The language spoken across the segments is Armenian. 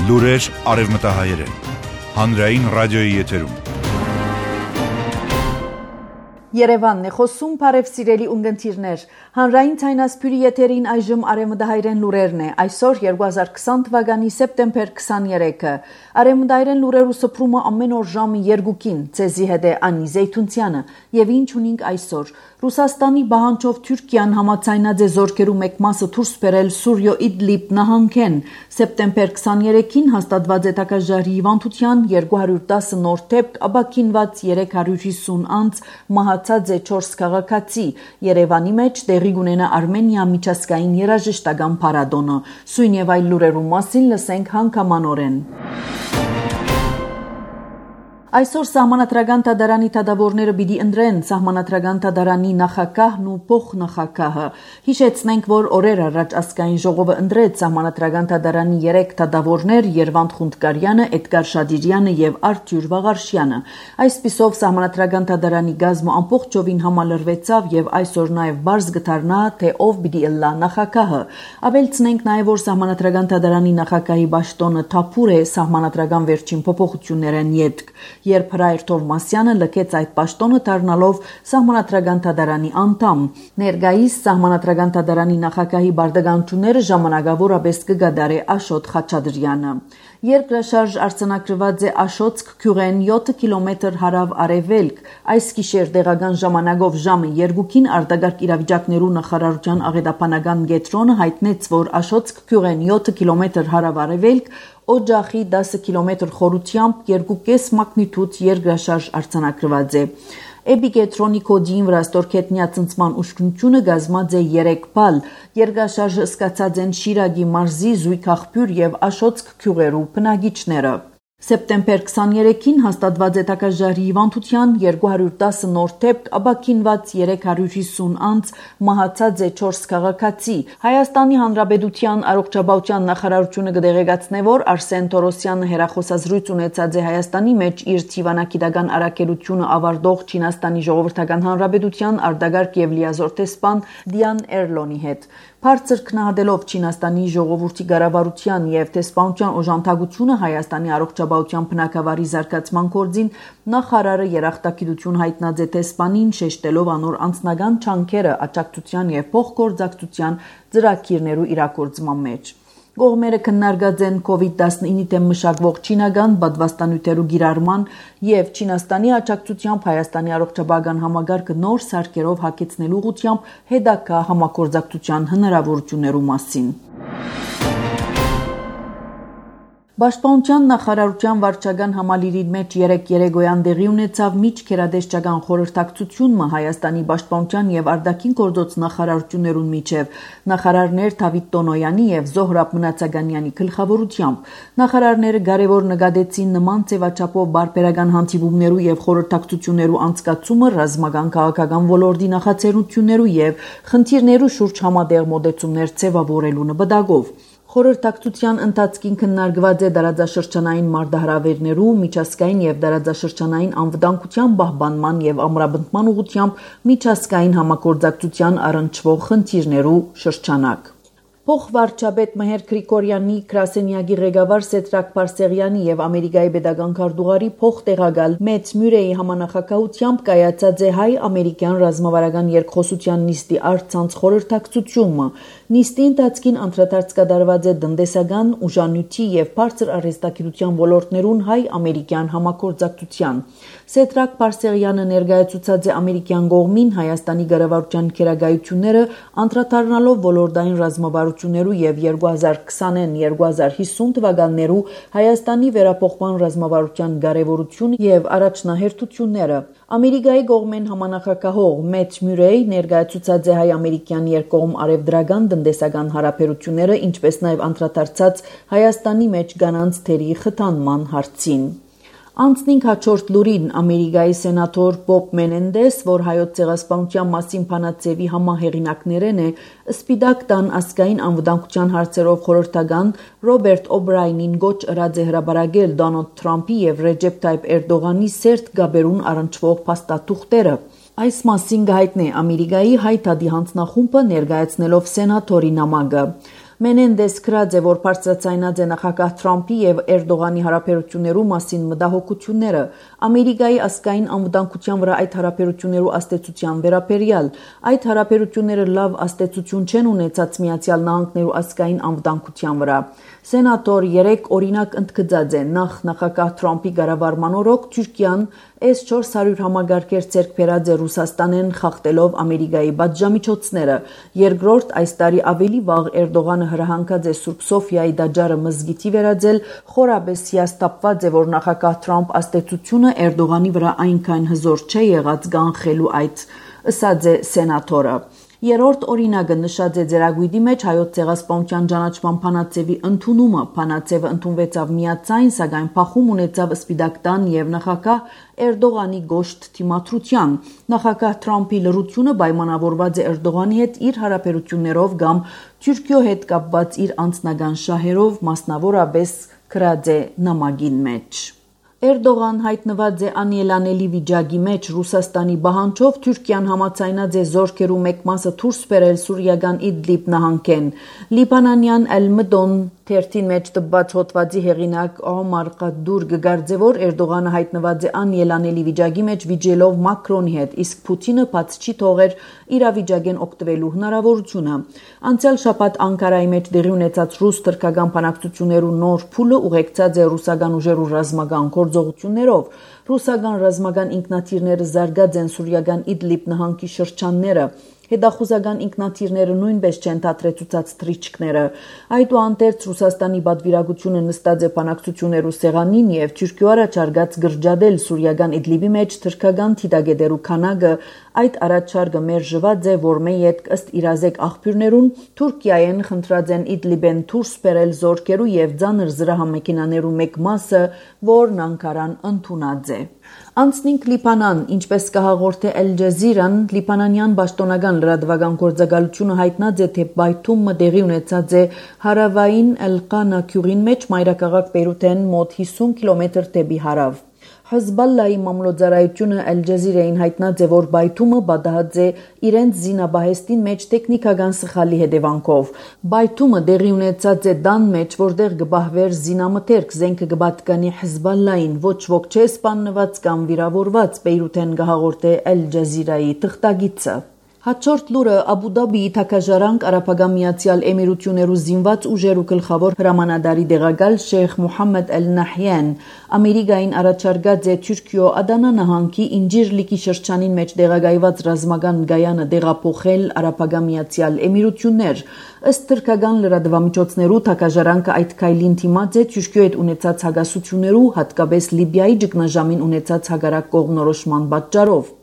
Լուրեր արևմտահայերեն։ Հանրային ռադիոյի եթերում։ Երևանն է խոսում, բարև սիրելի ունգընտիրներ։ Հանրային ցայնասփյուրի եթերին այժմ արևմտահայերեն լուրերն է։ Այսօր 2020 թվականի սեպտեմբեր 23-ը։ Արևմտահայերեն լուրերու սփռումը ամեն օր ժամը 2-ին։ Ցեզի հետ է Անի Զեյթունցյանը։ Եվ ինչ ունենք այսօր։ Ռուսաստանի բանջով Թուրքիան համաձայնած է զորքերու մեկ մասը դուրս բերել Սուրիո Իդլիբ նահանգեն։ Սեպտեմբեր 23-ին հաստատված է տակաժարի հիվանդության 210 նոր դեպք, ապաքինված 350 անց, մահացած է 4 քաղաքացի։ Երևանի մեջ տեղի կունենա Արմենիա միջազգային երաժշտական փառատոնը։ Սույն եւ այլ լուրերու մասին լսենք հանգամանորեն։ Այսօր սահմանադրական դատարանի դատավորները պիտի ընտրեն սահմանադրական դատարանի նախագահն ու փոխնախագահը։ Հիշեցնենք, որ օրեր առաջ ազգային ժողովը ընտրեց սահմանադրական դատարանի 3 դատավորներ՝ Երվանդ Խունդկարյանը, Էդգար Շադիրյանը եւ Արթուր Վաղարշյանը։ Այսպիսով սահմանադրական դատարանի գազմը ամբողջովին համալրվեցավ եւ այսօր նաեւ բարձ գտարնա, թե ով պիտի ըլլա նախագահը։ Ավելցնենք նաեւ, որ սահմանադրական դատարանի նախագահի պաշտոնը թափուր է սահմանադրական վերջին փոփոխություններն յետք։ Երբ Հրայր Թովմասյանը լքեց այդ պաշտոնը դառնալով սահմանադրական դատարանի անդամ։ Ներկայիս սահմանադրական դատարանի նախագահի բարդականությունները ժամանակավորապես կգադարի Աշոտ Խաչատրյանը։ Երկրաշարժ արձանագրված է Աշոտսկ գյուղեն 7 կիլոմետր հարավ-արևելք։ Այս գիշեր տեղական ժամանակով ժամը 2-ին արտագաղթ իրավիճակներու նախարարության աղետաբանական կենտրոնը հայտնեց, որ Աշոտսկ գյուղեն 7 կիլոմետր հարավ-արևելք Օջախի 10 կիլոմետր խորությամբ 2.5 մագնիտուդ երկրաշարժ արձանագրված է։ Էպիկենտրոնի կոդին վրա ստորգետնյա ծնծման ուշքնությունը գազմած է 3 բալ։ Երկրաշարժը սկացած են Շիրակի մարզի Զույգ աղբյուր եւ Աշոտսկ գյուղերու բնակիչները։ Սեպտեմբեր 23-ին հաստատված է տակաժարի հիվանդության 210 նոր դեպք, ապաքինված 350 անց, մահացած է 4 քաղաքացի։ Հայաստանի Հանրապետության առողջապահության նախարարությունը կդեղեկացնե, որ Արսեն Թորոսյանը հերախոսազրույց ունեցած է Հայաստանի մեջ իր դիվանագիտական առաքելությունը ավարտող Չինաստանի Ժողովրդական Հանրապետության արտագաղթ եւ լիազոր տեսփան Դիան Էրլոնի հետ։ Բարձր քննադելով Չինաստանի ժողովրդի ղարավարության եւ տեսփանության օժանդակությունը Հայաստանի առողջապահության բնակավարի զարգացման գործին նախարարը երախտագիտություն հայտնած է տեսփանին, շեշտելով անոր անձնական չանքերը աջակցության եւ փոխգործակցության ծրագիրներու իրագործման մեջ։ Կողմերը քննարկած են COVID-19-ի դեմ մշակվող չինական պատվաստանյութերու գիրառման եւ Չինաստանի աջակցությամբ Հայաստանի առողջապահական համագարկը նոր սարքերով հագեցնելու ուղղությամբ հետագա համագործակցության հնարավորություններու մասին։ Պաշտպանության նախարարության վարչական համալիրի մեջ 3 երեկոյան տեղի ունեցավ միջգերադեսչական խորհրդակցությունը Հայաստանի պաշտպանության եւ արտաքին գործոց նախարարություններուն միջև նախարարներ Դավիթ Տոնոյանի եւ Զոհրաբ Մնացականյանի գլխավորությամբ։ Նախարարները կարևոր նկատեցին նման ձևաչափով բարբերական հանդիպումներու եւ խորհրդակցություններու անցկացումը ռազմական քաղաքական ոլորտի նախաձեռնություններու եւ խնդիրներու շուրջ համատեղ մոտեցումներ ձևավորելու նպատակով։ Խորհրդակցության ընթացքին քննարկված է դարաձաշրջանային մարտահրավերներու, միջազգային եւ դարաձաշրջանային անվտանգության պահպանման եւ ամրապնդման ուղղությամբ միջազգային համագործակցության առնչվող խնդիրներու շրջանակ։ Փոխվարչապետ Մհեր Գրիգորյանի, Գրասենյակի ղեկավար Սեդրակ Բարսեղյանի եւ Ամերիկայի պետական քարտուղարի փոխտեղակալ Մեծ Մյուրեի համանախագահությամբ կայացած է հայ-ամերիկյան ռազմավարական երկխոսության նիստի առցանց խորհրդակցությունը։ Նիստի ընթացքին անդրադարձ կատարված է տնտեսական, ուժանյութի եւ բարձր արհեստագիտության ոլորտներուն հայ-ամերիկյան համագործակցության։ Սեդրակ Բարսեղյանը ներկայացուցած է ամերիկյան կողմին Հայաստանի կառավարության քերագայությունները անդրադառնալով ոլորտային ռազմավարություններու եւ 2020-2050 թվականներու Հայաստանի վերափոխման ռազմավարության կարեւորությունը եւ առաջնահերթությունները։ Ամերիկայի կողմեն համանախագահող Մեծ Մյուրեյ ներկայացուցած է հայ-ամերիկյան երկկողմ արևդրական տնտեսական հարաբերությունները, ինչպես նաեւ անդրադարձած Հայաստանի մեջ կանանց թերի խթանման հարցին։ Անցնենք հաջորդ լուրին Ամերիկայի սենատոր Բոբ Մենենդես, որ հայոց ցեղասպանության մասին փանացեվի համահեղինակներն է, Սպիտակ տան ազգային անվտանգության հարցերով խորհրդական Ռոբերտ Օբրայնին գոչ ըրած է հրապարակել Դոնալդ Թրամփի եւ Ռեջեփ Թայիփ Էրդողանի սերտ գաբերուն առնչվող փաստաթուղթերը։ Այս մասին գայտնի Ամերիկայի հայ թադի հանձնախումբը ներկայացնելով սենատորի նամակը։ Մենենդես գրած է, որ բարձրացնած է նախագահ Թրամփի եւ Էրդողանի հարաբերություններու մասին մտահոգությունները, Ամերիկայի ազգային անվտանգության վրա այդ հարաբերություններու աստեցության վերաբերյալ։ Այդ հարաբերությունները լավ աստեցություն չեն ունեցած Միացյալ Նահանգներու ազգային անվտանգության վրա։ Սենատոր 3 օրինակ ընդգծած է, նախ նախագահ Թրամփի կառավարման օրոք Թուրքիան S-400 համագարկեր ձեռք բերած է Ռուսաստանեն խախտելով Ամերիկայի պատժամիջոցները։ Երկրորդ, այս տարի ավելի վաղ Էրդողանը հրահանգած է Սուրբ Սոֆիայի դաջարը մզգիթի վերածել, խորաբես հիասթափված է, որ նախագահ Թրամփ աստեցությունը Էրդողանի վրա այնքան հզոր չէ եղած կանխելու այդ, ըսած է սենատորը։ Երրորդ օրինակը նշած է ձեռագույտի մեջ հայոց ցեղասպանության ճանաչման փանացեվի ընդունումը։ Փանացեվը ընդունվեցավ միացայն, սակայն փախում ունեցավ Սպիտակտան եւ նախագահ Էրդողանի գոշտ թիմադրության։ Նախագահ Թրամփի լրությունը պայմանավորված է Էրդողանի հետ իր հարաբերություններով կամ Թուրքիո հետ կապված իր անձնական շահերով, մասնավորապես գրած է նամակին մեջ։ Էրդողան հայտնված է անելանելի վիճակի մեջ Ռուսաստանի պահանջով Թուրքիան համաձայնած է զորքերու մեկ մասը դուրս բերել Սուրիական Իդլիբ նահանգեն։ Լիբանանյան Al-Madon թերթին մեջ տված հոդվածի հեղինակ Օմար Ղադուր գկարձե, որ Էրդողանը հայտնված է անելանելի վիճակի մեջ վիճելով Մակրոնի հետ, իսկ Պուտինը բաց չի թողեր իրավիճակեն օգտվելու հնարավորությունը։ Անցյալ շաբաթ Անկարայի մեջ դեղի ունեցած ռուս-թուրքական բանակցություններու նոր փուլը ուղեկցած է ռուսական ուժերու ռազմական գործողություններով։ Ռուսական ռազմական ինքնաթիռները զարգած են Սուրիական Իդլիբ նահանգի շրջանները։ Հետախուզական ինքնաթիռները նույնպես չեն դադրեցուցած թռիչքները։ Այդուհանդերձ Ռուսաստանի պատվիրակությունը նստած է բանակցություններու սեղանին եւ Թուրքիո առաջարկած գրջադել Սուրիական Իդլիբի մեջ թրքական թիդագետերու քանակը այդ առաջարկը մերժված է, որ մեյետ ըստ իրազեկ աղբյուրներուն Թուրքիայեն խնդրած են Իդլիբեն դուրս բերել զորքերու եւ ծանր զրահամեքենաներու մեկ մասը, որն Անկարան ընդունած է։ Անցնինք Լիբանան, ինչպես կհաղորդե Al Jazeera-ն, լիբանանյան պաշտոնական լրատվական գործակալությունը հայտնած է, թե բայթումը տեղի ունեցած է հարավային Ալ-Qana գյուղին մեջ մայրաքաղաք Բեյրութեն մոտ 50 կիլոմետր դեպի հարավ։ Հեզբոլլայի մամլոյցարայությունը Al Jazeera-ին հայտնած է, որ բայթումը պատահած է իրենց զինաբահեստին մեջ տեխնիկական սխալի հետևանքով։ Բայթումը տեղի ունեցած է տան մեջ, որտեղ կբահվեր զինամթերք, զենքը կպատկանի Հեզբոլլային, ոչ ոք չէ սպանված կամ վիրավորված, Բեյրութեն կհաղորդե Al Jazeera-ի թղթակիցը։ Հաջորդ լուրը Աբու Դաբիի թագաժարանք Արաբական Միացյալ Էմիրություններու զինված ուժերու գլխավոր հրամանատարի դեղակալ Շեյխ Մուհամմեդ Al-Նահյան Ամերիկային առաջարկած է Թուրքիո Ադանա նահանգի Ինջիրլիկի շրջանին մեջ տեղակայված ռազմական գայանը տեղափոխել Արաբական Միացյալ Էմիրություններ։ Ըստ թուրքական լրատվամիջոցներու թագաժարանքը այդ քայլին դիմաց է Թուրքիո հետ ունեցած հագասություններու, հատկապես Լիբիայի ճգնաժամին ունեցած հագարակ կողմնորոշման պատճառով։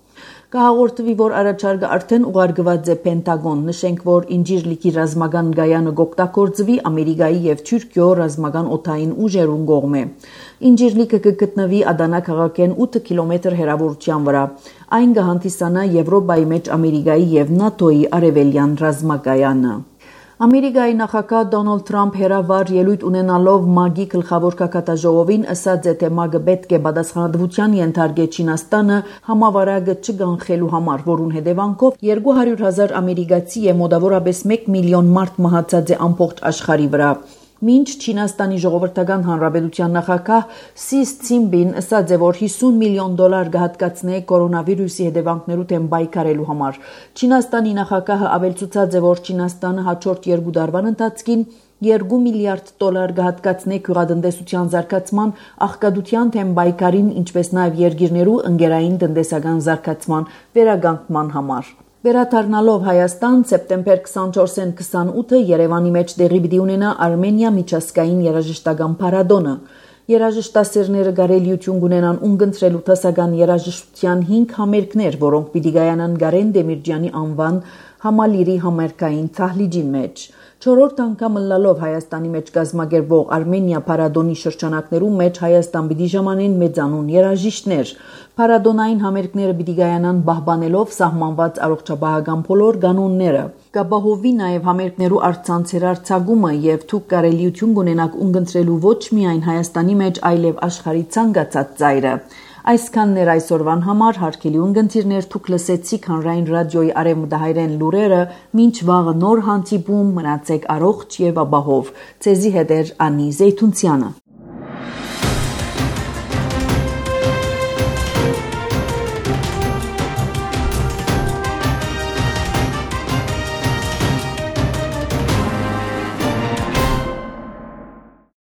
Կհաղորդվի, որ առաջարկը արդեն ուղարկված է Պենտագոն։ Նշենք, որ Ինջիրլիկի ռազմական գայանը կօգտագործվի Ամերիկայի եւ Թուրքիո ռազմական օդային ուժերուն կողմէ։ Ինջիրլիկը կգտնվի Ադանա քաղաքեն 8 կիլոմետր հեռավորության վրա։ Այն կհանդիսանա Եվրոպայի մեջ Ամերիկայի եւ ՆԱՏՕ-ի արևելյան ռազմակայանը։ Ամերիկայի նախագահ Դոնալդ Թրամփ հերավար ելույթ ունենալով ՄԱԳ-ի գլխավոր կակատաժողովին ասաց է, թե ՄԱԳ-ը պետք է պատասխանատվության ենթարկե Չինաստանը համավարակը չգանխելու համար, որուն հետևանքով 200,000 ամերիկացի եւ մոտավորապես 1 միլիոն մարդ մահացած է ամբողջ աշխարհի վրա։ Մինչ Չինաստանի ժողովրդական հանրապետության նախագահ Սի Ցինպին ասաց է, որ $50 միլիոն կհատկացնե կորոնավիրուսի հետևանքներու դեմ պայքարելու համար։ Չինաստանի նախագահը ավելցուցած է, որ Չինաստանը հաջորդ 2 տարվան ընթացքին $2 միլիարդ կհատկացնե գյուղատնտեսության զարգացման, աղքատության դեմ պայքարին, ինչպես նաև երկիրներու ընկերային տնտեսական զարգացման վերականգնման համար։ Վերադառնալով Հայաստան, սեպտեմբեր 24-ին 28-ը Երևանի մեջ տեղի պիտի ունենա Արմենիա միջազգային երաժշտական փառատոնը։ Երաժշտասերները կարելիություն կունենան ունգընտրելու դասական երաժշտության 5 համերգներ, որոնք պիտի գայանան Գարեն Դեմիրճյանի անվան համալիրի համերգային թահլիճին մեջ։ 4-րդ անգամ լալով Հայաստանի մեջ կազմակերպվող Արմենիա փառատոնի շրջանակներում մեջ Հայաստան պիտի ժամանեն մեծանուն երաժիշտներ։ Փառատոնային համերգները պիտի գայանան պահպանելով սահմանված առողջապահական բոլոր կանոնները։ Կապահովվի նաև համերգներու առցանց հերարցակումը եւ դուք կարելիություն կունենաք ունգընտրելու ոչ միայն Հայաստանի մեջ, այլև աշխարհի ցանկացած ծայրը։ Այսքանն էր այսօրվան համար, հարգելի ունգընտիրներ, դուք լսեցիք Հանրային ռադիոյի արևմտահայերեն լուրերը, մինչ վաղը նոր հանդիպում, մնացեք առողջ եւ ապահով։ Ձեզի հետ էր Անի Զեյթունցյանը։